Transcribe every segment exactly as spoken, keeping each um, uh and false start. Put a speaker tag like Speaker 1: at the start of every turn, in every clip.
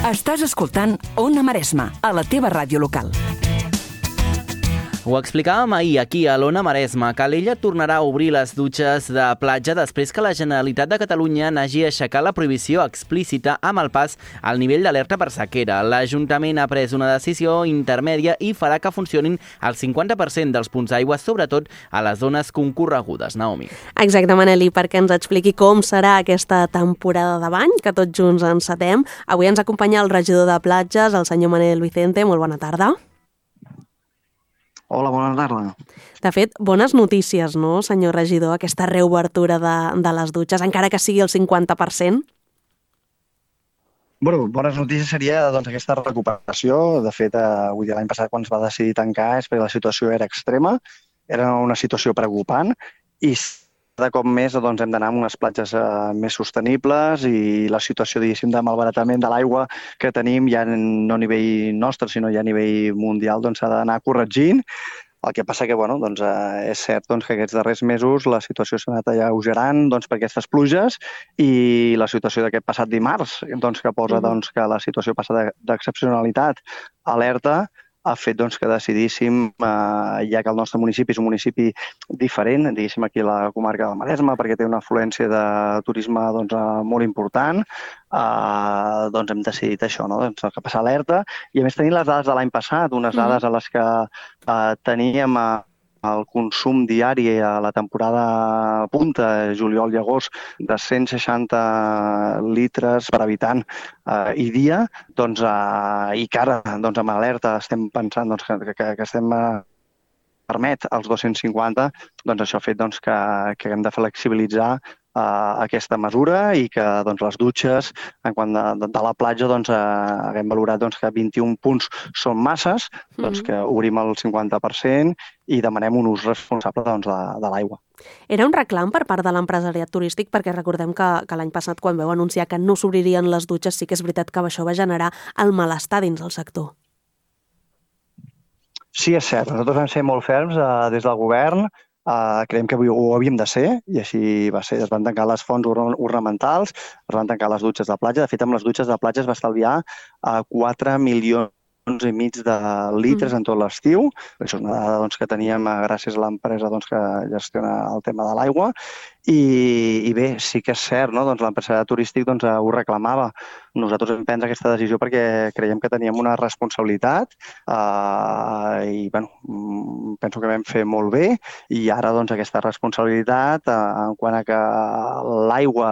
Speaker 1: Estàs escoltant Ona Maresma, a la teva ràdio local.
Speaker 2: Ho explicàvem ahir aquí a l'Ona Maresma. Calella tornarà a obrir les dutxes de platja després que la Generalitat de Catalunya n'hagi aixecat la prohibició explícita amb el pas al nivell d'alerta per sequera. L'Ajuntament ha pres una decisió intermèdia i farà que funcionin el cinquanta per cent dels punts d'aigua, sobretot a les zones concorregudes. Naomi.
Speaker 3: Exacte, Maneli, perquè ens expliqui com serà aquesta temporada de bany, que tots junts encetem. Avui ens acompanya el regidor de platges, el senyor Manel Vicente. Molt bona tarda.
Speaker 4: Hola, bona tarda.
Speaker 3: De fet, bones notícies, no, senyor regidor, aquesta reobertura de, de les dutxes, encara que sigui el cinquanta per cent?
Speaker 4: Bueno, bones notícies seria doncs, aquesta recuperació. De fet, eh, vull dir, l'any passat quan es va decidir tancar és perquè la situació era extrema, era una situació preocupant i cada cop més doncs, hem d'anar a unes platges eh, més sostenibles i la situació, diguéssim, de malbaratament de l'aigua que tenim ja no a nivell nostre, sinó ja a nivell mundial, doncs s'ha d'anar corregint. El que passa que, bueno, doncs, eh, és cert doncs, que aquests darrers mesos la situació s'ha anat alleugerant doncs, per aquestes pluges i la situació d'aquest passat dimarts, doncs, que posa doncs, que la situació passa d'excepcionalitat a alerta, ha fet doncs, que decidíssim, eh, ja que el nostre municipi és un municipi diferent, diguéssim aquí a la comarca del Maresme, perquè té una afluència de turisme doncs, eh, molt important, eh, doncs hem decidit això, no? doncs, que passar alerta. I a més tenint les dades de l'any passat, unes dades a les que eh, teníem eh, el consum diari a la temporada punta, juliol i agost, de cent seixanta litres per habitant eh, i dia, doncs, eh, i que ara doncs, amb alerta estem pensant doncs, que, que, que estem eh, permet els dos-cents cinquanta, doncs això ha fet doncs, que, que hem de flexibilitzar uh, aquesta mesura i que doncs, les dutxes, en quant de, de, de la platja, doncs, uh, haguem valorat doncs, que vint-i-un punts són masses, doncs, que obrim el cinquanta per cent i demanem un ús responsable doncs, de, de l'aigua.
Speaker 3: Era un reclam per part de l'empresariat turístic, perquè recordem que, que l'any passat, quan vau anunciar que no s'obririen les dutxes, sí que és veritat que això va generar el malestar dins del sector.
Speaker 4: Sí, és cert. Nosaltres vam ser molt ferms eh, des del govern. Eh, creiem que ho havíem de ser i així va ser. Es van tancar les fonts ornamentals, es van tancar les dutxes de platja. De fet, amb les dutxes de platja es va estalviar eh, quatre milions i mig de litres en tot l'estiu. Això és una dada doncs, que teníem gràcies a l'empresa doncs, que gestiona el tema de l'aigua. I, I bé, sí que és cert, no? doncs, l'empresari turístic doncs, ho reclamava. Nosaltres hem pres aquesta decisió perquè creiem que teníem una responsabilitat eh, i bueno, penso que vam fer molt bé i ara doncs, aquesta responsabilitat eh, en quant a que l'aigua,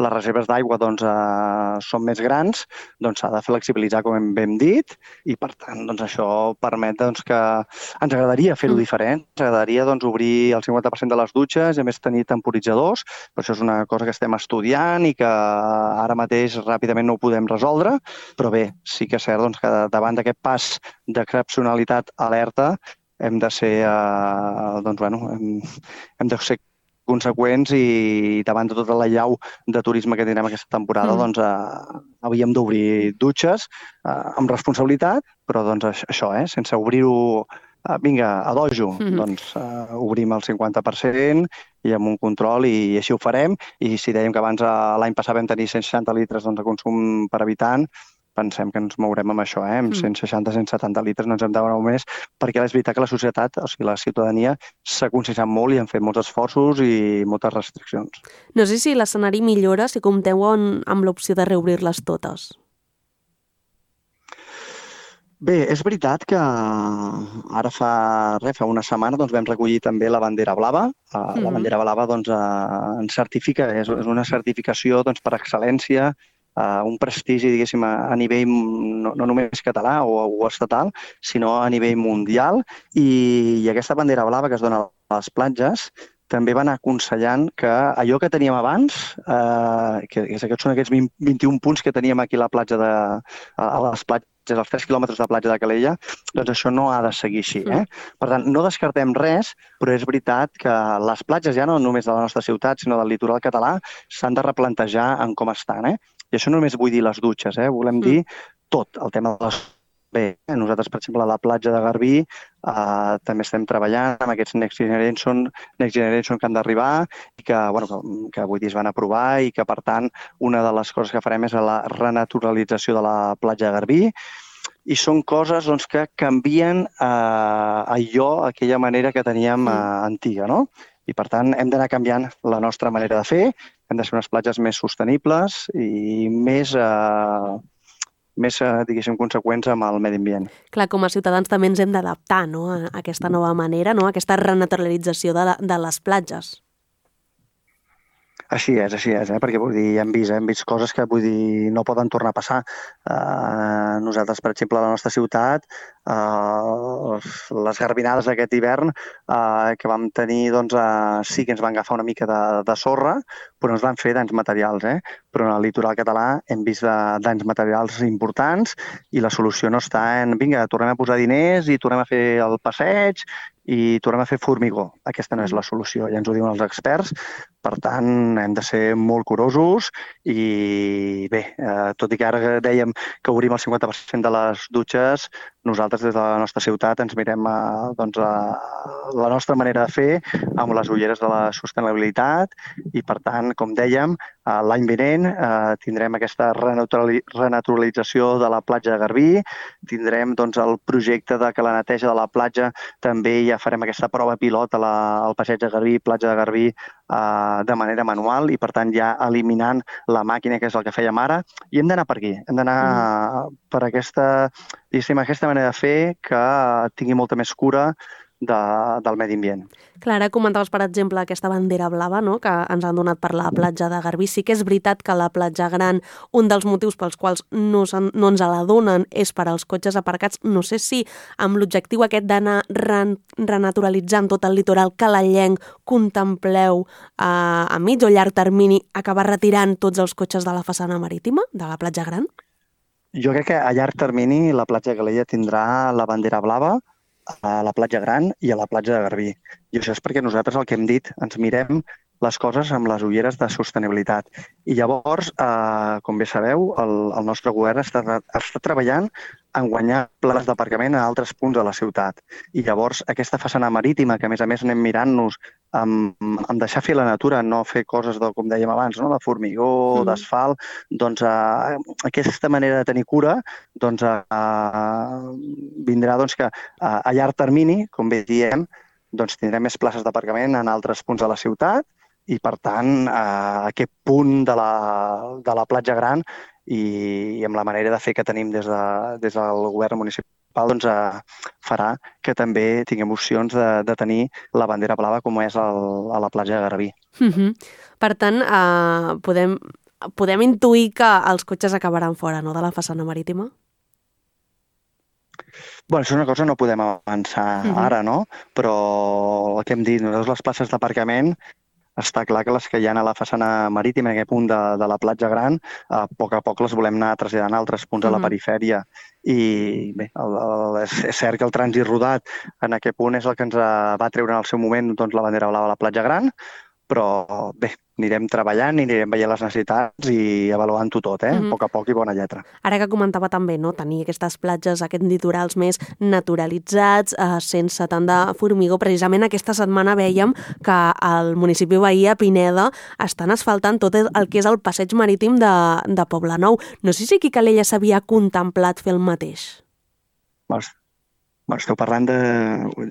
Speaker 4: les reserves d'aigua doncs, eh, són més grans, doncs s'ha de flexibilitzar, com hem dit, i per tant doncs, això permet doncs, que ens agradaria fer-ho diferent, ens agradaria doncs, obrir el cinquanta per cent de les dutxes i a més tenir temporitzadors, però això és una cosa que estem estudiant i que ara mateix ràpidament no ho podem resoldre, però bé, sí que és cert doncs, que davant d'aquest pas d'excepcionalitat alerta hem de ser, eh, doncs, bueno, hem, hem de ser conseqüents i davant de tota la llau de turisme que tindrem aquesta temporada, mm. doncs eh, havíem d'obrir dutxes eh, amb responsabilitat, però doncs això, eh, sense obrir-ho Uh, vinga, a dojo, mm-hmm. doncs uh, obrim el cinquanta per cent i amb un control i així ho farem. I si dèiem que abans uh, l'any passat vam tenir cent seixanta litres doncs, de consum per habitant, pensem que ens mourem amb això, eh? Amb cent seixanta a cent setanta litres no ens hem de veure més, perquè és veritat que la societat, o sigui, la ciutadania, s'ha conscienciat molt i han fet molts esforços i moltes restriccions.
Speaker 3: No sé si l'escenari millora si compteu amb l'opció de reobrir-les totes.
Speaker 4: Bé, és veritat que ara fa, res, fa una setmana doncs, vam recollir també la bandera blava. Uh, la bandera blava doncs, uh, ens certifica, és, és una certificació doncs, per excel·lència, uh, un prestigi diguéssim, a, a nivell no, no només català o, o estatal, sinó a nivell mundial. I, i aquesta bandera blava que es dona a les platges també va anar aconsellant que allò que teníem abans, eh, que, que són aquests vint, vint-i-un punts que teníem aquí a la platja de, a les platges, als tres quilòmetres de platja de Calella, doncs això no ha de seguir així. Eh? Per tant, no descartem res, però és veritat que les platges, ja no només de la nostra ciutat, sinó del litoral català, s'han de replantejar en com estan. Eh? I això no només vull dir les dutxes, eh? Volem dir tot, el tema de les bé, nosaltres, per exemple, a la platja de Garbí eh, també estem treballant amb aquests Next Generation, Next Generation que han d'arribar i que, bueno, que, que avui dia es van aprovar i que, per tant, una de les coses que farem és la renaturalització de la platja de Garbí i són coses doncs, que canvien eh, allò, aquella manera que teníem eh, antiga, no? I, per tant, hem d'anar canviant la nostra manera de fer, hem de ser unes platges més sostenibles i més... Eh, més, diguéssim, conseqüents amb el medi ambient.
Speaker 3: Clar, com a ciutadans també ens hem d'adaptar, no?, a aquesta nova manera, no?, a aquesta renaturalització de, la, de les platges.
Speaker 4: Així és, així és, eh? Perquè vull dir, hem vist, eh? hem vist coses que vull dir, no poden tornar a passar. Uh, nosaltres, per exemple, a la nostra ciutat, uh, les garbinades d'aquest hivern uh, que vam tenir, doncs, uh, sí que ens van agafar una mica de, de sorra, però ens van fer danys materials. Eh? Però en el litoral català hem vist de, danys materials importants i la solució no està en, vinga, tornem a posar diners i tornem a fer el passeig i tornem a fer formigó. Aquesta no és la solució, ja ens ho diuen els experts. Per tant, hem de ser molt curosos i bé, eh, tot i que ara dèiem que obrim el cinquanta per cent de les dutxes, nosaltres des de la nostra ciutat ens mirem a, doncs, a la nostra manera de fer amb les ulleres de la sostenibilitat i, per tant, com dèiem, l'any vinent eh, tindrem aquesta renaturalització de la platja de Garbí, tindrem doncs, el projecte de que la neteja de la platja també ja farem aquesta prova pilot a la, al passeig de Garbí, platja de Garbí, eh, de manera manual i, per tant, ja eliminant la màquina, que és el que fèiem ara, i hem d'anar per aquí, hem d'anar mm. per aquesta, aquesta manera de fer que tingui molta més cura de, del medi ambient.
Speaker 3: Clar, ara comentaves, per exemple, aquesta bandera blava, no?, que ens han donat per la platja de Garbí. Sí que és veritat que la platja gran, un dels motius pels quals no, no ens la donen és per als cotxes aparcats. No sé si amb l'objectiu aquest d'anar renaturalitzant tot el litoral calallenc contempleu eh, a mig o llarg termini acabar retirant tots els cotxes de la façana marítima, de la platja gran?
Speaker 4: Jo crec que a llarg termini la platja de Calella tindrà la bandera blava a la platja gran i a la platja de Garbí. I això és perquè nosaltres el que hem dit, ens mirem les coses amb les ulleres de sostenibilitat. I llavors, eh, com bé sabeu, el, el nostre govern està, està treballant en guanyar places d'aparcament a altres punts de la ciutat. I llavors, aquesta façana marítima, que a més a més anem mirant-nos amb, amb deixar fer la natura, no fer coses, de, com dèiem abans, no? de formigó, mm. d'asfalt, doncs eh, aquesta manera de tenir cura doncs, eh, vindrà doncs, que eh, a llarg termini, com bé diem, doncs, tindrem més places d'aparcament en altres punts de la ciutat i, per tant, eh, aquest punt de la, de la platja gran i, i amb la manera de fer que tenim des, de, des del govern municipal doncs, eh, farà que també tinguem opcions de, de tenir la bandera blava com és el, a la platja de Garbí.
Speaker 3: Uh-huh. Per tant, eh, podem, podem intuir que els cotxes acabaran fora, no?, de la façana marítima?
Speaker 4: Bueno, això és una cosa que no podem avançar uh-huh. ara, no? Però el que hem dit, nosaltres les places d'aparcament està clar que les que hi ha a la façana marítima, en aquest punt de, de la platja gran, a poc a poc les volem anar traslladant a altres punts uh-huh. a la perifèria. I bé, el, el, és, és cert que el trànsit rodat en aquest punt és el que ens va treure en el seu moment doncs, la bandera blava a la platja gran, però bé, anirem treballant i anirem veient les necessitats i avaluant-ho tot, eh? Mm-hmm. A poc a poc i bona lletra.
Speaker 3: Ara que comentava també, no?, tenir aquestes platges, aquests litorals més naturalitzats, eh, sense tant de formigó. Precisament aquesta setmana vèiem que al municipi veí, a Pineda, estan asfaltant tot el que és el passeig marítim de, de Poblenou. No sé si aquí a Calella s'havia contemplat fer el mateix.
Speaker 4: Vols? Bueno, esteu parlant de,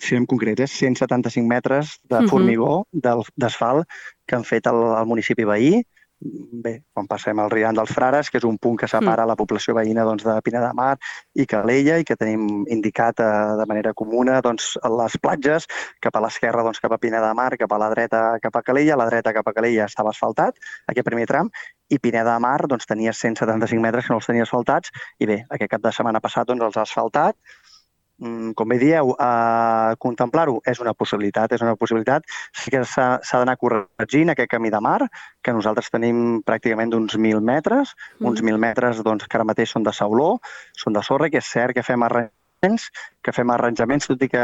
Speaker 4: si en concret, és cent setanta-cinc metres de formigó uh-huh. d'asfalt que han fet al, al municipi veí. Bé, quan passem al Rian dels Frares, que és un punt que separa uh-huh. la població veïna doncs, de Pineda de Mar i Calella i que tenim indicat eh, de manera comuna doncs, les platges, cap a l'esquerra doncs, cap a Pineda de Mar, cap a la dreta cap a Calella, a la dreta cap a Calella estava asfaltat, aquest primer tram, i Pineda de Mar doncs, tenia cent setanta-cinc metres que no els tenia asfaltats i bé, aquest cap de setmana passat doncs, els ha asfaltat. Com bé dieu, eh, contemplar-ho és una possibilitat, és una possibilitat. Sí que s'ha, s'ha d'anar corregint aquest camí de mar, que nosaltres tenim pràcticament d'uns mil metres, mm. uns mil metres doncs, que ara mateix són de sauló, són de sorra, que és cert que fem arranjaments que fem arranjaments, tot i que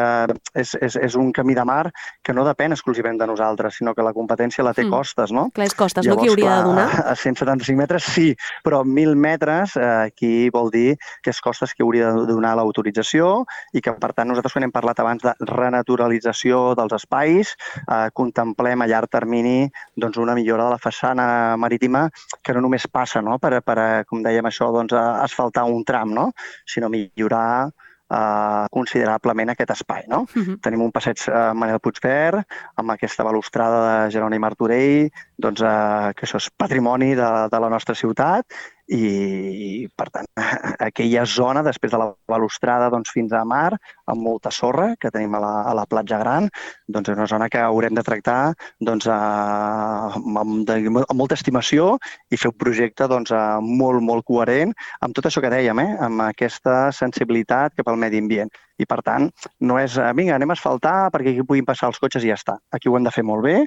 Speaker 4: és, és, és un camí de mar que no depèn exclusivament de nosaltres, sinó que la competència la té
Speaker 3: Mm.
Speaker 4: costes, no?
Speaker 3: Clar, és costes,
Speaker 4: Llavors,
Speaker 3: no? Qui hauria
Speaker 4: clar,
Speaker 3: de donar?
Speaker 4: A cent setanta-cinc metres sí, però mil metres eh, aquí vol dir que és costes que hauria de donar l'autorització i que, per tant, nosaltres quan hem parlat abans de renaturalització dels espais, eh, contemplem a llarg termini doncs, una millora de la façana marítima que no només passa no? per, per, com dèiem això, doncs, a asfaltar un tram, no? Sinó millorar Uh, considerablement aquest espai. No?
Speaker 3: Uh-huh.
Speaker 4: Tenim un passeig uh, Manel Puigverd amb aquesta balustrada de Jeroni Martorell, doncs, uh, que això és patrimoni de, de la nostra ciutat i, per tant, aquella zona, després de la balustrada doncs, fins a mar, amb molta sorra que tenim a la, a la platja gran, doncs és una zona que haurem de tractar doncs, uh, amb, de, amb molta estimació i fer un projecte doncs, uh, molt, molt coherent amb tot això que dèiem, eh? Amb aquesta sensibilitat cap al medi ambient. I, per tant, no és, vinga, anem a asfaltar perquè aquí puguin passar els cotxes i ja està. Aquí ho hem de fer molt bé.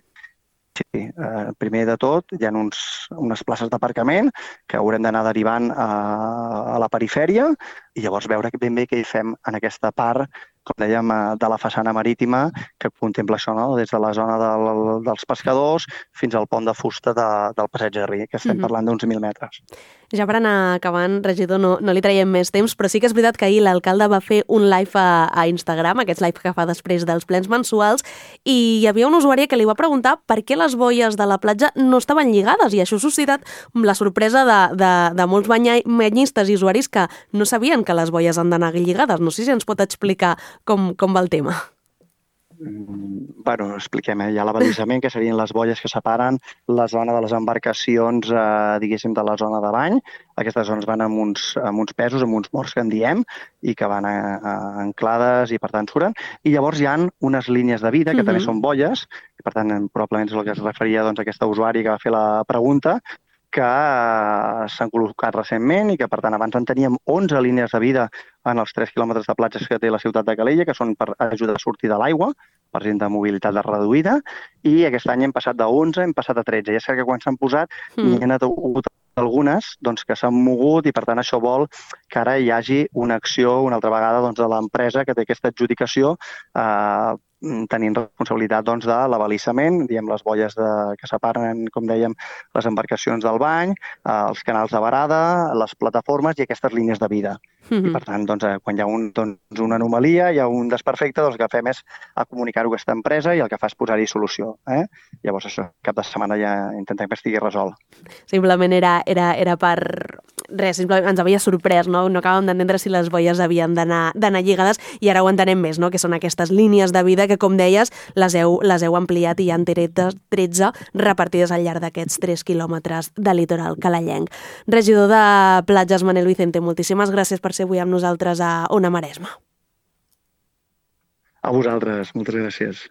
Speaker 4: Sí, eh, primer de tot, hi ha uns, unes places d'aparcament que haurem d'anar derivant a, a la perifèria i llavors veure ben bé què hi fem en aquesta part, com dèiem, de la façana marítima que contempla això, no? Des de la zona del, dels pescadors fins al pont de fusta de, del Passeig de Ri, que estem mm-hmm. parlant d'uns mil metres.
Speaker 3: Ja per anar acabant, regidor, no, no li traiem més temps, però sí que és veritat que ahir l'alcalde va fer un live a, a Instagram, aquests live que fa després dels plens mensuals, i hi havia una usuària que li va preguntar per què les boies de la platja no estaven lligades, i això ha suscitat la sorpresa de, de, de molts banya, banyistes i usuaris que no sabien que les boies han d'anar lligades. No sé si ens pot explicar com, com va el tema.
Speaker 4: Bueno, expliquem, eh? Hi ha l'abalisament, que serien les boies que separen la zona de les embarcacions, eh, diguéssim, de la zona de bany. Aquestes zones van amb uns, amb uns pesos, amb uns morts que en diem, i que van a, a anclades i, per tant, suren. I llavors hi ha unes línies de vida, que uh-huh. també són boies, i, per tant, probablement és el que es referia doncs, a aquesta usuària que va fer la pregunta, que s'han col·locat recentment i que, per tant, abans en teníem onze línies de vida en els tres quilòmetres de platges que té la ciutat de Calella, que són per ajudar a sortir de l'aigua, per gent de mobilitat reduïda, i aquest any hem passat de onze, hem passat a tretze. Ja sé que quan s'han posat mm. n'hi ha hagut algunes doncs, que s'han mogut i, per tant, això vol que ara hi hagi una acció, una altra vegada, doncs, de l'empresa que té aquesta adjudicació eh, tenint responsabilitat doncs, de l'abalissament, diem les boies de, que separen, com dèiem, les embarcacions del bany, eh, els canals de varada, les plataformes i aquestes línies de vida. Mm-hmm. I, per tant, doncs, eh, quan hi ha un, doncs, una anomalia, hi ha un desperfecte, doncs el que fem és a comunicar-ho a aquesta empresa i el que fa és posar-hi solució. Eh? Llavors, això, cap de setmana ja intentem que estigui resolt.
Speaker 3: Simplement era, era, era per... Res, simplement ens havia sorprès, no? No acabàvem d'entendre si les boies havien d'anar d'anar lligades i ara ho entenem més, no? Que són aquestes línies de vida que, com deies, les heu, les heu ampliat i hi ha tretze repartides al llarg d'aquests tres quilòmetres de litoral calellenc. Regidor de Platges, Manel Vicente, moltíssimes gràcies per ser avui amb nosaltres a Ona Maresma.
Speaker 4: A vosaltres, moltes gràcies.